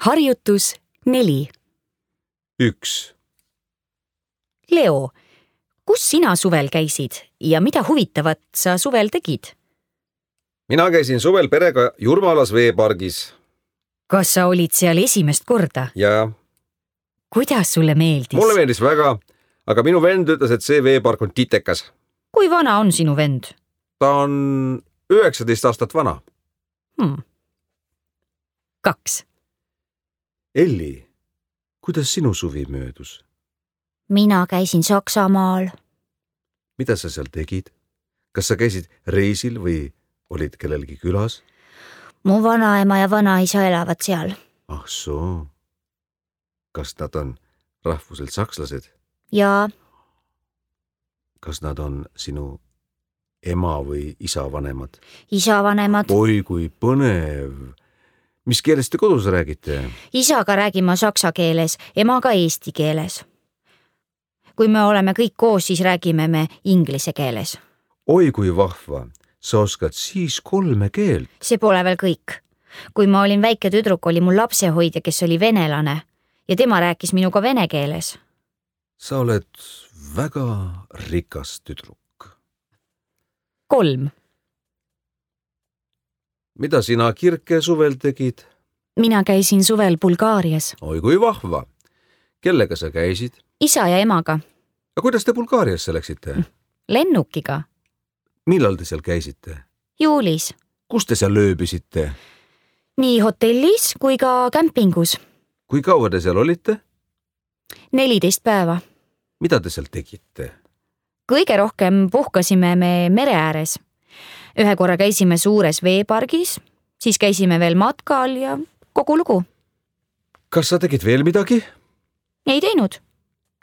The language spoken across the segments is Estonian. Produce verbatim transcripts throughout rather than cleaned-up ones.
Harjutus neli. üks. Leo, kus sina suvel käisid ja mida huvitavat sa suvel tegid? Mina käisin suvel perega Jurmalas veepargis. Kas sa olid seal esimest korda? Ja Kuidas sulle meeldis? mulle meeldis väga, aga minu vend ütles, et see veepark on titekas. Kui vana on sinu vend? Ta on üheksateist aastat vana. Hmm. Kaks. Elli, kuidas sinu suvi möödus? Mina käisin Saksamaal. Mida sa seal tegid? Kas sa käisid reisil või olid kellelgi külas? Mu vanaema ja vanaisa elavad seal. Ah soo. Kas nad on rahvuselt sakslased? Ja Kas nad on sinu ema või isa vanemad? isa vanemad. Oi, kui põnev. Mis keeles te kodus räägite? Isaga räägime saksa keeles, emaga eesti keeles. Kui me oleme kõik koos, siis räägime me inglise keeles. Oi, kui vahva. Sa oskad siis kolme keelt. See pole veel kõik. Kui ma olin väike tüdruk, oli mul lapsehoidja, kes oli venelane ja tema rääkis minuga vene keeles. Sa oled väga rikas tüdruk. Kolm. Mida sina, Kirke, suvel tegid? Mina käisin suvel Bulgaarias. Oi, kui vahva. Kellega sa käisid? Isa ja emaga. Ja kuidas te Bulgaariasse läksite? Lennukiga. Millal te seal käisite? Juulis. Kus te seal lööbisite? Nii hotellis kui ka kämpingus. Kui kaua te seal olite? neliteist päeva. Mida te seal tegite? Kõige rohkem puhkasime me mere ääres. Ühe korra käisime suures veepargis, siis käisime veel matkal ja kogu lugu. Kas sa tegid veel midagi? Ei teinud.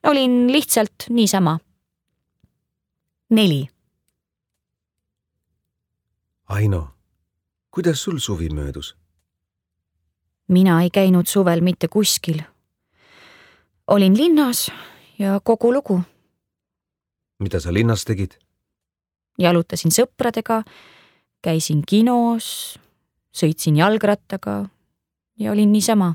Olin lihtsalt niisama. Neli. Aino, kuidas sul suvi möödus? Mina ei käinud suvel mitte kuskil. Olin linnas ja kogu lugu. Mida sa linnas tegid? Jalutasin sõpradega, käisin kinos, sõitsin jalgrattaga ja olin niisama.